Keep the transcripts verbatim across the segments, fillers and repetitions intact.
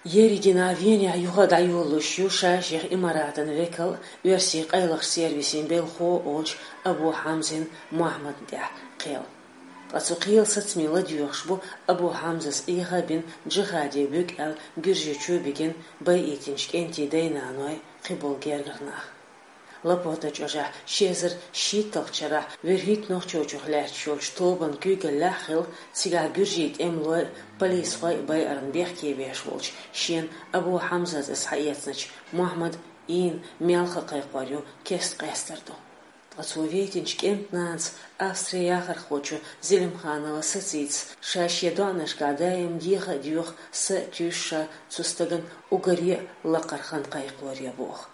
Ерригнахь Венехь юха дӀайолалуш ю ша шех Имаратан векал, оьрсийн къайлахчу сервисийн белхахо волчу Абу Хьамзин Мохьмадан тӀехь кхел. Ткъа цу кхелан сацаме ладоьгӀуш бу Абу Хьамзас Ӏеха а бина, джихаде буьгу аьлла Гуьржийчу а бигина, байийтинчу кӀентийн дай-наной, кхиболу гергара нах. Лапота чӀожахь ши эзар шийтталгӀачу шарахь вуьрхӀитта Нохчийчух лаьтташ йолчу тобанан куьйгаллехь а хилла, цигахь гуьржийн тӀемалой а, полисхой а байарна бехке веш волчу шена Абу Хьамзас иза схьаэцначу Мохьмадан ийна мел хан кхайкхор ю кеста къаьстар ду. Ткъа цо вейтинчу кӀентан нанас, Австрин яхархочо Зелимханова Сацитас, ша шен доӀанашкахь даим деха а доьху, са а туьйсу ша цу стагана уггаре а лакхара хан кхайкхоре боху.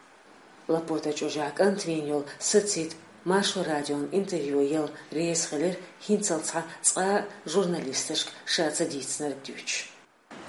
Лапота чӀожахь кӀант вийна йолу Сацита Маршо радион интервью яла реза хилира, хӀинццалц цхьа цкъа а журналисташка ша ца дийцинарг дуьйцуш.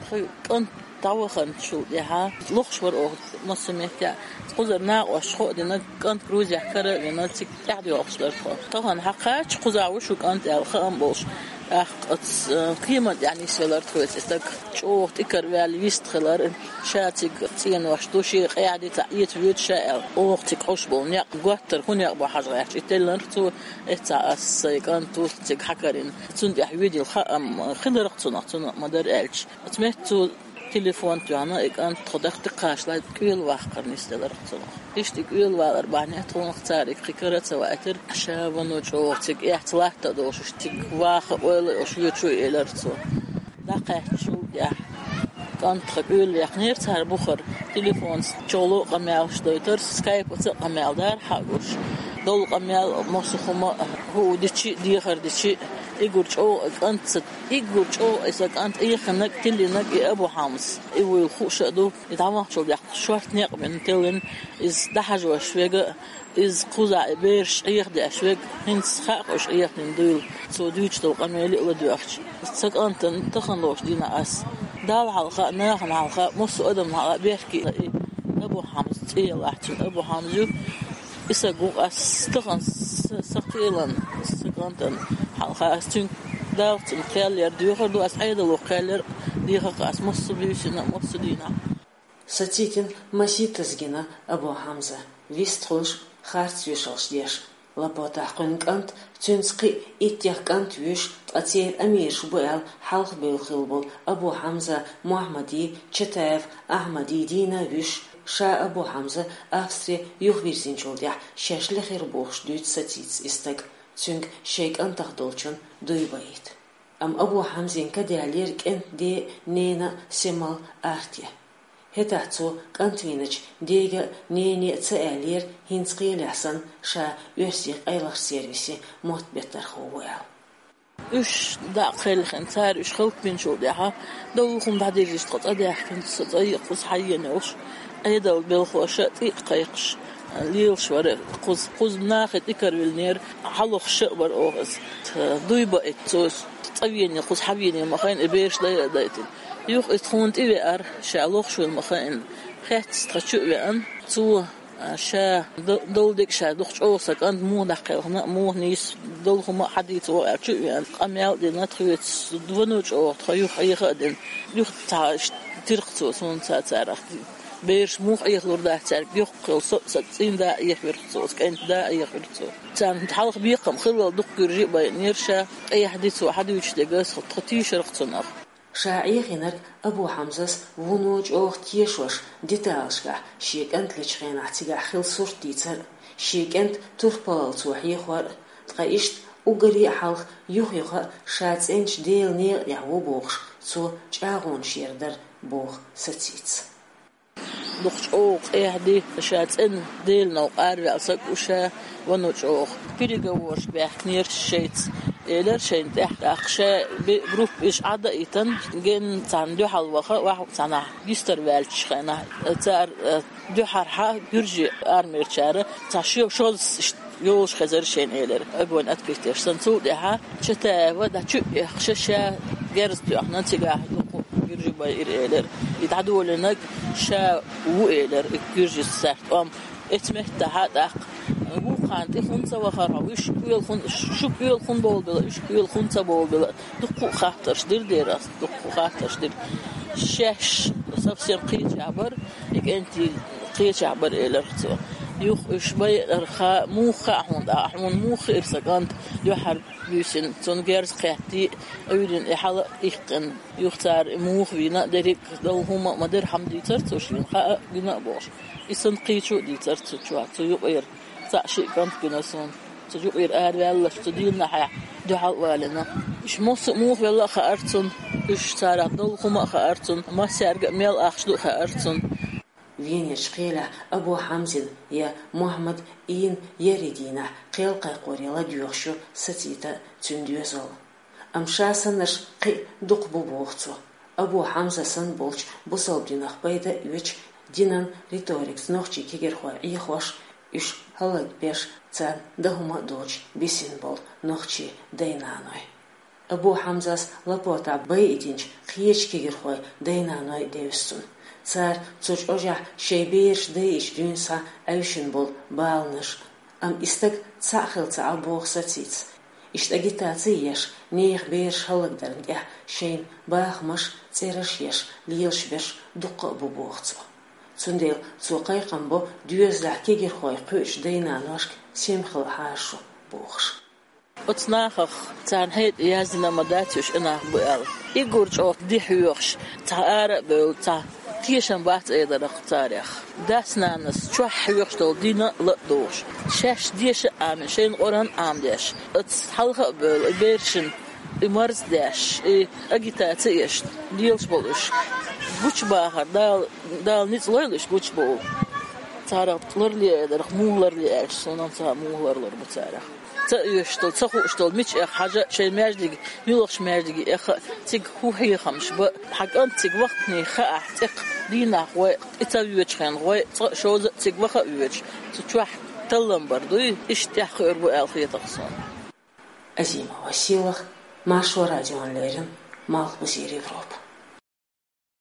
Тхан кӀант дӀаваханчул тӀаьхьа лохуш вара оха массо а меттехь. Кхузара накъосташа хаа дина, кӀант Грузехь кара а вина, цига тӀаьхьадоьлхуш дара тхо. Тахана хьан кхача кхузахь ву шу кӀант аьлла хаам болуш, тӀаккха оцу, э, кеман тӀехь нисвелара тхоьца и стаг. ЧӀогӀа тӀекара ваьлла вист хилар, ша цига цӀенош ду, шен къаьхьа дицахь эца воьду ша аьлла. Оха цига Ӏуш болу некъ, готтара хӀун некъ бу хьажа гӀерташ, и теллинарх цо, эццахь ас сайн кӀант ву цига хьакарийна. Цунна тӀехь воьдийла хаам хиларх цунах, цунах ма-дарра аьлча. Оцу метта цо телефон тоьхна, и кӀант тхо даха тӀекхачале кӀелаваккхар нисделарх цунах. Иштта и кӀелавалар бахьанехь тхунах цара и кхин кара а ца ваийтира, ша вано чӀогӀа цига эхь ца латта а долуш, цига ваха ойла а йолуш воьду шу, элира цо. ДӀакхаьччул тӀаьхьа кӀант тхан кӀелаваьккхинера цара бухара, телефонца чоло а къамелаш дойтура, скайпаца а къамел дара хьан а гуш. Долу къамел массо а хӀума хӀуъу дичи а, дехар дичи а, уггар чӀогӀа и кӀантаца, уггар чӀогӀа и сан кӀант Ӏехийнарг, тиллинарг и Абу Хьамза. И вуйла хууш а ду, и дӀаваханчул тӀаьхьа шорта некъ бина тиллина, иза дӀахьажош верг а, иза кхузахь и бераш Ӏехадеш верг а, хӀинца хаьа уьш Ӏехадина дуйла, цо дуьйцуш долу къамеле а ладоьгӀча. Сан кӀантана тахана лоцучу дийнахь ас Далла хьалха а, нахана хьалха а, массо а адамна хьалха а бехке а и Абу Хьамза цӀе ялахь, цуьнан Абу Хьамза ю. И стаг ву ас тахана с-, сан кхелан, сан кӀантана хьалха ас цуьнга Далла цунна кхел яр доьхур ду, ас Ӏедало кхел яр а дехар ас массо а буьйсина а, массо а дийнахь. Сацитина маситтаза гина Абу Хьамза, вистхуьлуш, харц вешалш деш. Лапотахь кхуьнан кӀант, цуьнца кхин а иттех кӀант вуьйш, ткъа церан амираш бу аьлла хьалха бевлла хилла болу Абу Хьамза Мохьмадий, Чатаев Ахьмадий дийна а вуьйш, ша Абу Хьамза Австри юхавирзинчул тӀаьхьа шаьш лехира бохуш дуьйцу Сацитас и стаг, цуьнга шайн кӀантах долчун дуй баийта. Амма Абу Хьамзин ка даьллера кӀентан ден а, ненан а семал арте. ХӀетахь цо кӀант вийначу дега а, нене а ца аьллера, хӀинца кхелехь санна, ша оьрсийн къайлахчу сервисийн мотт беттархо ву аьлла. Уьш дӀа а кхелхина, цара уьш хӀаллакбинчул тӀаьхьа, долу хӀума дӀадирзича тхо цӀа даьхкина, со цӀа йиъ кхуза хьаена йолуш, Ӏедалан белхоша а тӀе а кхайкхаш, лелаш вара кхуза. Кхуза нахе тӀекарвиллинера, хьалохуш а вара оха иза. Дуй баийта цо, цӀа вене, кхуза хьавене ма-хиъна, и бераш дай а дайтина. Юха иза тхуна тӀевеара, ша лохуш вина ма-хиъна. Хеццалц тхан чу а веана, цо, а, ша д-, долу дерг ша дукха чӀогӀа сан кӀант муха дӀакхелхина а, муха нийса долу хӀума а хьадийцаво аьлла чу а веана, къамел а дина тхоьца, вано чӀогӀа тхо юха Ӏеха а дина. Юха цхьа тирх цо суна цацарах. Бераш муха Ӏехалур дац цаьрга, йоккха йолу со а, сан цӀийнда а Ӏехавира цо, сан кӀентан да а Ӏехавира цо. Царна хьалха бекхам хиллал дукха гуьржи а байинера ша, къехьа дицо хьадуьйцуш дерг ас, тхо тийшарх цунах. Ша Ӏехийнарг Абу Хьамзас вуно чӀогӀа тешош, деталашкахь шен кӀант лечу хенахь цигахь хилла сурт дийцар а, шен кӀентан турпалалла цо хьехор а, ткъа иштта уггаре а хьалха юха-юха а ша цӀеначу Делан некъа тӀехь ву бохуш, цо чӀагӀонаш яр дара, боху Сацитас. Дукха чӀогӀа къехьа ди, ша цӀена Делан новкъа араваьлла саг ву ша, вано чӀогӀа. Переговорашка баьхкинера шайца, элира шайна тӀехь. ТӀаккха ша бе-, группа иша Ӏад а йитина, генна царна дуьхьал ваха, ваха цхьанхьа гистара ваьллачу хенахь, цара, э, дуьхьархьа гуьржийн армерчара цхьа шо-, шозза йолуш хезара шайна, элира, огонь открыть еш санна. Цул тӀаьхьа Чатаева дӀа чу а эккхаш, ша герз тоьхна, цигахь дукха гуьржи байира, элира. И дӀадолийнарг ша ву, элира, и гуьржица цаьрца тӀом. Эцу меттахьа тӀаккха: «Вукхарна тӀе хӀунда ца вахара хьо? Уьш кӀоьла хӀун-, шу кӀоьла хӀунда болабелла, уьш кӀоьла хӀунда ца болабелла?» Дуккха а хаттарш дира дера ас, дуккха а хаттарш дира. Шаьш совсем кхечахь бара, и кӀентий кхечахь бара, элира цо. Юха уьш байинарг ха-, муха хаьа хьуна, а хьуна муха хиира сан кӀант дуьхьал буьйсина, цунна герз кхеттий, Ӏуьйрина и хьала а иккхина, юха цара и муха вийна а, дерриг а долу хӀума а ма-дарра хьама дийцара цо шена, хаа а, гина а бохуш. И санна кхечо а дийцара цу чохь, цу юкъера. Цхьаъ-шиъ кӀант гина суна. Цу юкъера араваьлларш, цу дийнахьехь дуьхьал а валийна. Уьш массо а муха велла а хаьара цунна, уьш царах долу хӀума а хаьара цунна, массаьрга а мел ахча ду а хаьара цунна. Венерчу кхелехь Абу Хьамзин я Мухьаммад Ийн еарин дийнахь кхел кхайкхоре ладоьгӀуш ю сацийта цуьнан доьзал. Амма ша саннарш кхин а дукха бу боху цо. Абу Хьамза санна болчу бусалба динах пайда а оьцуш, динан риторикаца нохчийн кегирхой Ӏехош, уьш хӀаллакбеш, царна дан хӀума а доцуш бисина болу нохчийн дай-наной. Абу Хьамзас лапотехь байидинчу кхечу кегирхой дай-наной девза цунна. Цара цу чӀожехь шайн бераш дайъича дуьйна схьа Ӏаьвшина болу баланаш. Амма и стаг цхьаъ хилла ца Ӏа боху сацийта. Иштта агитаци а еш, нехан бераш хӀаллакдарна тӀехь шайна бахамаш, цӀераш а еш, лелаш берш дуккха а бу боху цо. Цундела цо кхайкхам бо доьзалехь кегирхой кхуьучу дай-наношка сема хила хьажа шу бохуш. Оцу нахах царна хьекъале яздина ма дац уьш и нах бу аьлла. Уггар чӀогӀа ди хьоьхуш, цхьа ара а бевлла, цхьа тешам бац элира-кх царех. Дас-нанас чохь хьоьхуш долу дин а ла а дохуш, шаьш деша а Ӏамийна, шайна Къуръан а Ӏамадеш, оцу хьалха а бевлла, и берашна и марз а деш, и агитаци а еш, лелаш болу уьш. Гучубахар, Дала, Дала ницкъ лойла уьш гучубовла. Царах ларле элира-кх, муха ларле аьлча, суна-м ца хаьа, муха ларлур бу царах. Ца оьшуш долу, ца хууш долу мича эха хьажа шайн маьждиге, муьлхачу маьждиге эха, цига хӀун хьехамаш бан, хьан кӀант цига вахтане хаахь, цӀаккха дийнахь гӀой, и ца воьдучу хенахь гӀой, цкъа а, шовзткъа а цига ваха а воьдуш, цу чохь таллам бар дуй, иштта тӀаьхьахиур бу аьлла хета-кх суна. Азимова Сийлаха, Маршо радиона леррина, Малхбузера Европа.